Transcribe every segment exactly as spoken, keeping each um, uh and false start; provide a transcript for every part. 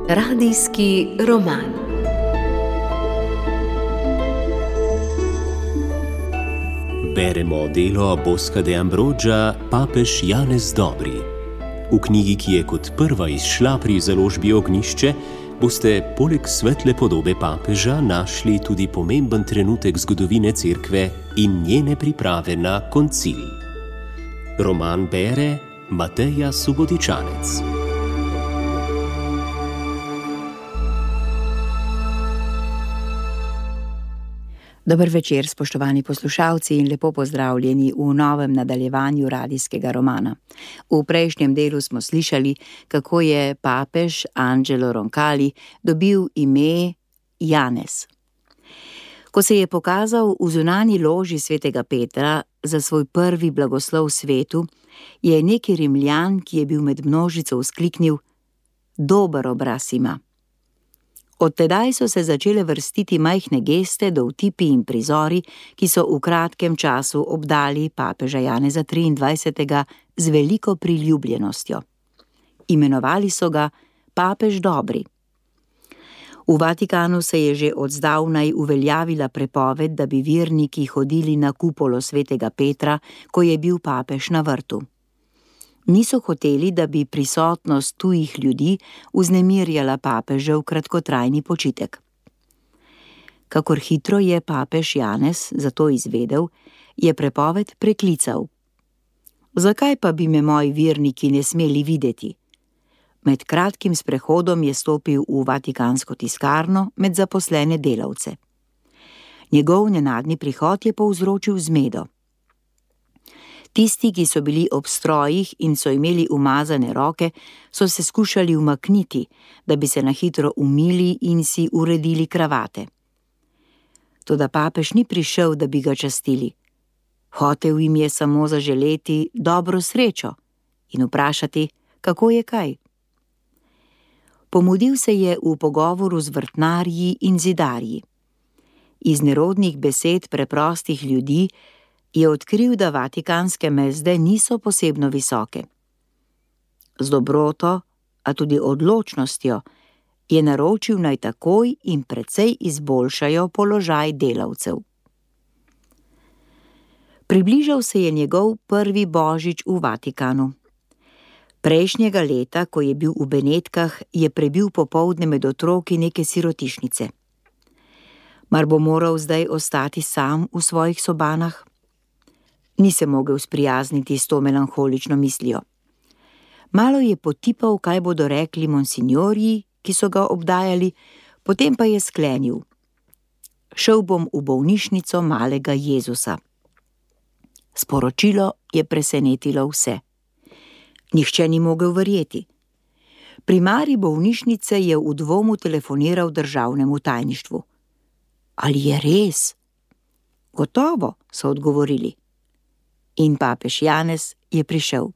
Radijski roman. Beremo delo Bosca de Ambroggia Papež Janez Dobri. V knjigi, ki je kot prva izšla pri založbi Ognjišče, boste poleg svetle podobe papeža našli tudi pomemben trenutek zgodovine Cerkve in njene priprave na koncil. Roman bere Mateja Subotičanec. Dober večer, spoštovani poslušalci, in lepo pozdravljeni v novem nadaljevanju radijskega romana. V prejšnjem delu smo slišali, kako je papež Angelo Roncalli dobil ime Janez. Ko se je pokazal v zunanji loži svetega Petra za svoj prvi blagoslov svetu, je neki Rimljan, ki je bil med množico, vzkliknil: "Dober obraz ima." Od tedaj so se začele vrstiti majhne geste, dovtipi in prizori, ki so v kratkem času obdali papeža Janeza triindvajsetega z veliko priljubljenostjo. Imenovali so ga Papež Dobri. V Vatikanu se je že od zdavnaj uveljavila prepoved, da bi verniki hodili na kupolo svetega Petra, ko je bil papež na vrtu. Niso hoteli, da bi prisotnost tujih ljudi vznemirjala papežev kratkotrajni počitek. Kakor hitro je papež Janez zato izvedel, je prepoved preklical. Zakaj pa bi me moji verniki ne smeli videti? Med kratkim sprehodom je stopil v vatikansko tiskarno med zaposlene delavce. Njegov nenadni prihod je povzročil zmedo. Tisti, ki so bili ob strojih in so imeli umazane roke, so se skušali umakniti, da bi se na hitro umili in si uredili kravate. Toda papež ni prišel, da bi ga častili. Hotel jim je samo zaželeti dobro srečo in vprašati, kako je kaj. Pomudil se je v pogovoru z vrtnarji in zidarji. Iz nerodnih besed preprostih ljudi je odkril, da vatikanske mezde niso posebno visoke. Z dobroto, a tudi odločnostjo, je naročil naj takoj in precej izboljšajo položaj delavcev. Približal se je njegov prvi božič v Vatikanu. Prejšnjega leta, ko je bil v Benetkah, je prebil popoldne med otroki neke sirotišnice. Mar bo moral zdaj ostati sam v svojih sobanah? Ni se mogel sprijazniti s to melanholično mislijo. Malo je potipal, kaj bodo rekli monsinjorji, ki so ga obdajali, potem pa je sklenil: "Šel bom v bolnišnico malega Jezusa." Sporočilo je presenetilo vse. Nihče ni mogel verjeti. Primarij bolnišnice je v dvomu telefoniral državnemu tajništvu. "Ali je res?" "Gotovo," so odgovorili. In papež Janez je prišel.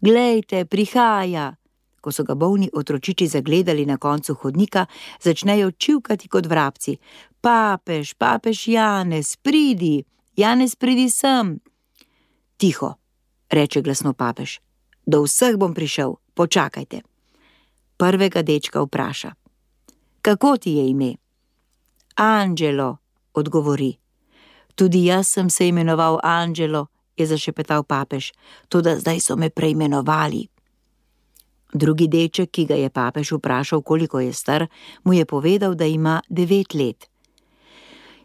"Glejte, prihaja!" Ko so ga bolni otročiči zagledali na koncu hodnika, začnejo čivkati kot vrabci. "Papež, papež Janez, pridi! Janez, pridi sem!" "Tiho," reče glasno papež. "Do vseh bom prišel, počakajte." Prvega dečka vpraša: "Kako ti je ime?" "Angelo," odgovori. "Tudi jaz sem se imenoval Angelo," je zašepetal papež, "toda zdaj so me preimenovali." Drugi deček, ki ga je papež vprašal, koliko je star, mu je povedal, da ima devet let.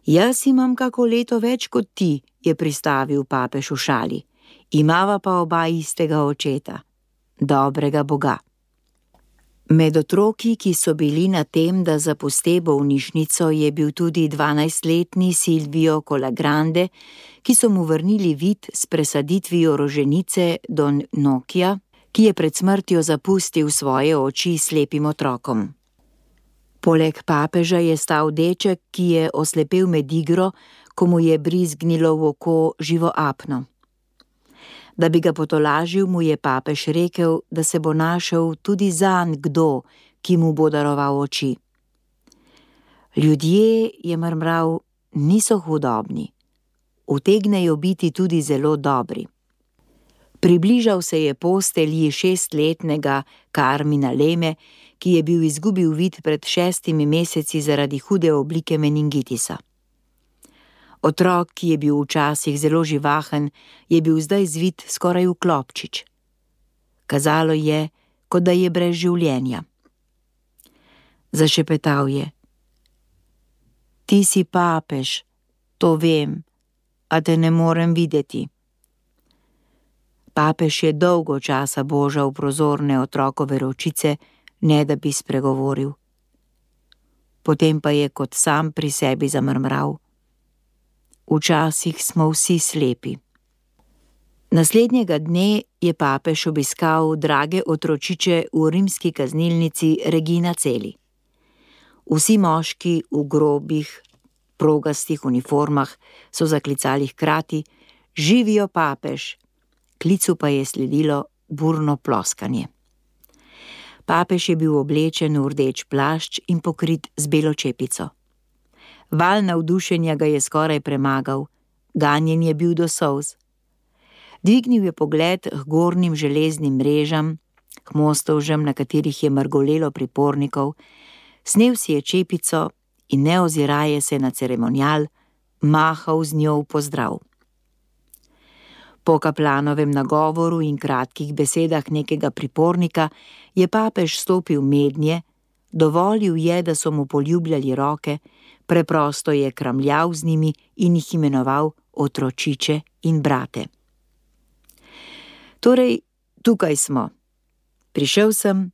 "Jaz imam kako leto več kot ti," je pristavil papež v šali. "Imava pa oba istega očeta, dobrega Boga." Med otroki, ki so bili na tem, da zapuste bolnišnico, je bil tudi dvanajstletni Silvio Colagrande, ki so mu vrnili vid s presaditvijo roženice Don Nokija, ki je pred smrtjo zapustil svoje oči slepim otrokom. Poleg papeža je stal deček, ki je oslepel med igro, ko mu je brizgnilo v oko živo apno. Da bi ga potolažil, mu je papež rekel, da se bo našel tudi zanj kdo, ki mu bo daroval oči. "Ljudje," je mrmral, "niso hudobni. Utegnejo biti tudi zelo dobri." Približal se je postelji šestletnega Carmina Leme, ki je bil izgubil vid pred šestimi meseci zaradi hude oblike meningitisa. Otrok, ki je bil včasih zelo živahen, je bil zdaj zvit skoraj v klobčič. Kazalo je, kot da je brez življenja. Zašepetal je: Ti si papež, to vem, a te ne morem videti. Papež je dolgo časa božal prozorne otrokove ročice, ne da bi spregovoril. Potem pa je kot sam pri sebi zamrmral: Včasih smo vsi slepi. Naslednjega dne je papež obiskal drage otročiče v rimski kaznilnici Regina Coeli. Vsi moški v grobih, progastih uniformah so zaklicali hkrati: Živijo papež! Klicu pa je sledilo burno ploskanje. Papež je bil oblečen v rdeč plašč in pokrit z belo čepico. Val navdušenja ga je skoraj premagal, ganjen je bil do solz. Dvignil je pogled k gornjim železnim mrežam, k mostovžem, na katerih je mrgolelo pripornikov, snel si je čepico in ne oziraje se na ceremonial, mahal z njo v pozdrav. Po kaplanovem nagovoru in kratkih besedah nekega pripornika je papež stopil mednje, dovolil je, da so mu poljubljali roke, preprosto je kramljal z njimi in jih imenoval otročiče in brate. Torej, tukaj smo. Prišel sem,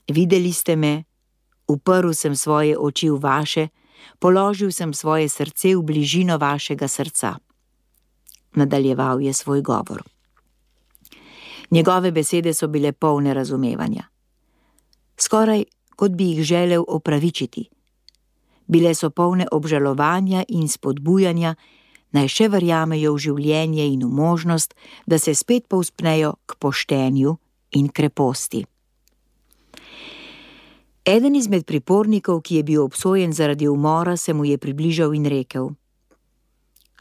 videli ste me, uprl sem svoje oči v vaše, položil sem svoje srce v bližino vašega srca. Nadaljeval je svoj govor. Njegove besede so bile polne razumevanja. Skoraj kot bi jih želel opravičiti. Bile so polne obžalovanja in spodbujanja, naj še verjamejo v življenje in v možnost, da se spet povzpnejo k poštenju in kreposti. Eden izmed pripornikov, ki je bil obsojen zaradi umora, se mu je približal in rekel: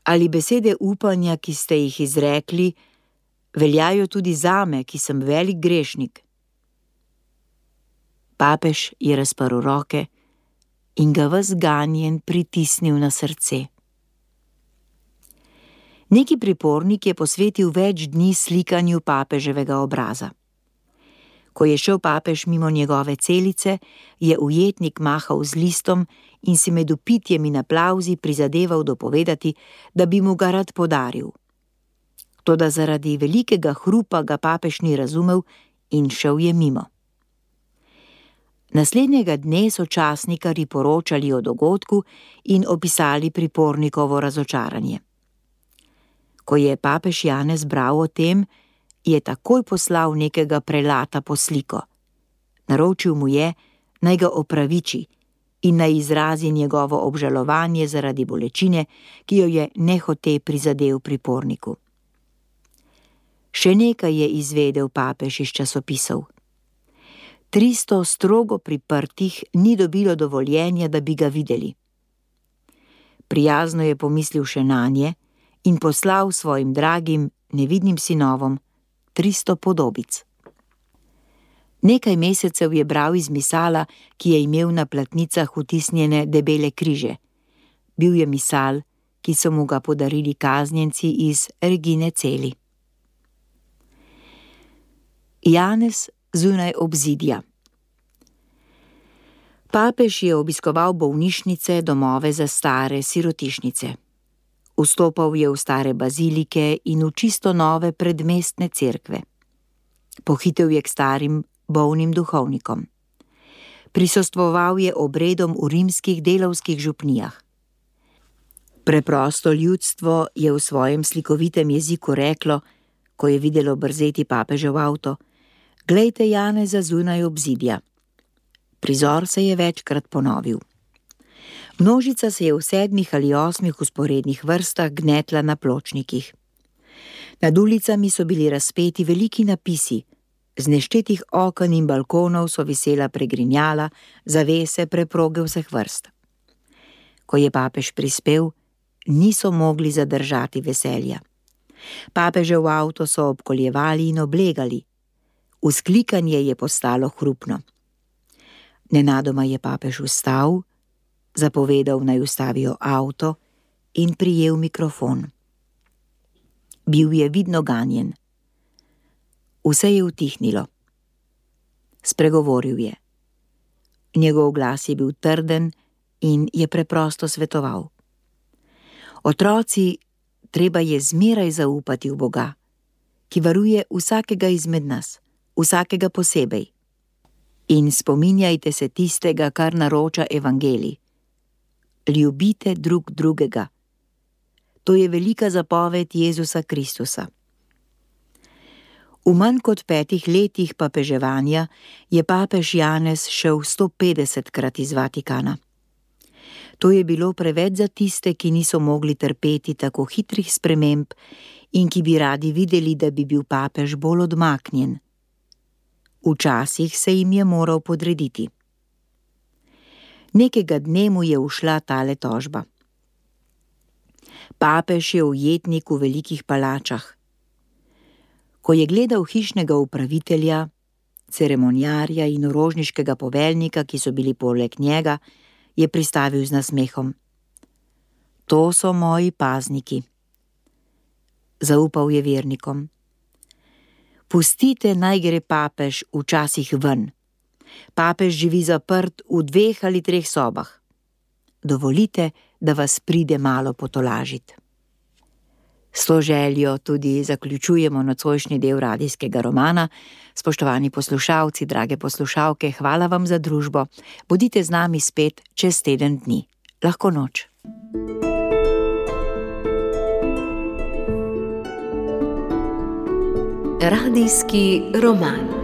Ali besede upanja, ki ste jih izrekli, veljajo tudi zame, ki sem velik grešnik? Papež je razprl roke in ga ves ganjen pritisnil na srce. Neki pripornik je posvetil več dni slikanju papeževega obraza. Ko je šel papež mimo njegove celice, je ujetnik mahal z listom in si med vpitjem in aplavzi prizadeval dopovedati, da bi mu ga rad podaril. Toda zaradi velikega hrupa ga papež ni razumel in šel je mimo. Naslednjega dne so časnikarji poročali o dogodku in opisali pripornikovo razočaranje. Ko je papež Janez bral o tem, je takoj poslal nekega prelata po sliko. Naročil mu je, naj ga opraviči in naj izrazi njegovo obžalovanje zaradi bolečine, ki jo je nehote prizadel priporniku. Še nekaj je izvedel papež iz časopisov. Tristo strogo priprtih ni dobilo dovoljenja, da bi ga videli. Prijazno je pomislil še nanje in poslal svojim dragim, nevidnim sinovom tristo podobic. Nekaj mesecev je bral iz misala, ki je imel na platnicah vtisnjene debele križe. Bil je misal, ki so mu ga podarili kaznjenci iz Regine Coeli. Janez zunaj obzidja. Papež je obiskoval bolnišnice, domove za stare, sirotišnice. Vstopal je v stare bazilike in v čisto nove predmestne cerkve. Pohitel je k starim, bolnim duhovnikom. Prisostvoval je obredom v rimskih delavskih župnijah. Preprosto ljudstvo je v svojem slikovitem jeziku reklo, ko je videlo brzeti papežev avto: Glejte Janeza zunaj obzidja. Prizor se je večkrat ponovil. Množica se je v sedmih ali osmih vzporednih vrstah gnetla na pločnikih. Nad ulicami so bili razpeti veliki napisi, z neštetih oken in balkonov so visela pregrinjala, zavese, preproge vseh vrst. Ko je papež prispel, niso mogli zadržati veselja. Papežev avto so obkoljevali in oblegali. Vzklikanje je postalo hrupno. Nenadoma je papež vstal, zapovedal, naj ustavijo avto in prijel mikrofon. Bil je vidno ganjen. Vse je utihnilo. Spregovoril je. Njegov glas je bil trden in je preprosto svetoval. Otroci, treba je zmeraj zaupati v Boga, ki varuje vsakega izmed nas, vsakega posebej. In spominjajte se tistega, kar naroča evangelij. Ljubite drug drugega. To je velika zapoved Jezusa Kristusa. V manj kot petih letih papeževanja je papež Janez šel sto petdesetkrat iz Vatikana. To je bilo preveč za tiste, ki niso mogli trpeti tako hitrih sprememb in ki bi radi videli, da bi bil papež bolj odmaknjen. Včasih se jim je moral podrediti. Nekega dne mu je ušla tale tožba. Papež je ujetnik v velikih palačah. Ko je gledal hišnega upravitelja, ceremonjarja in orožniškega poveljnika, ki so bili poleg njega, je pristavil z nasmehom. To so moji pazniki. Zaupal je vernikom. Pustite, naj gre papež včasih ven. Papež živi zaprt v dveh ali treh sobah. Dovolite, da vas pride malo potolažit. S to željo tudi zaključujemo nocojšnji del radijskega romana. Spoštovani poslušalci, drage poslušalke, hvala vam za družbo. Bodite z nami spet čez teden dni. Lahko noč. Radijski roman.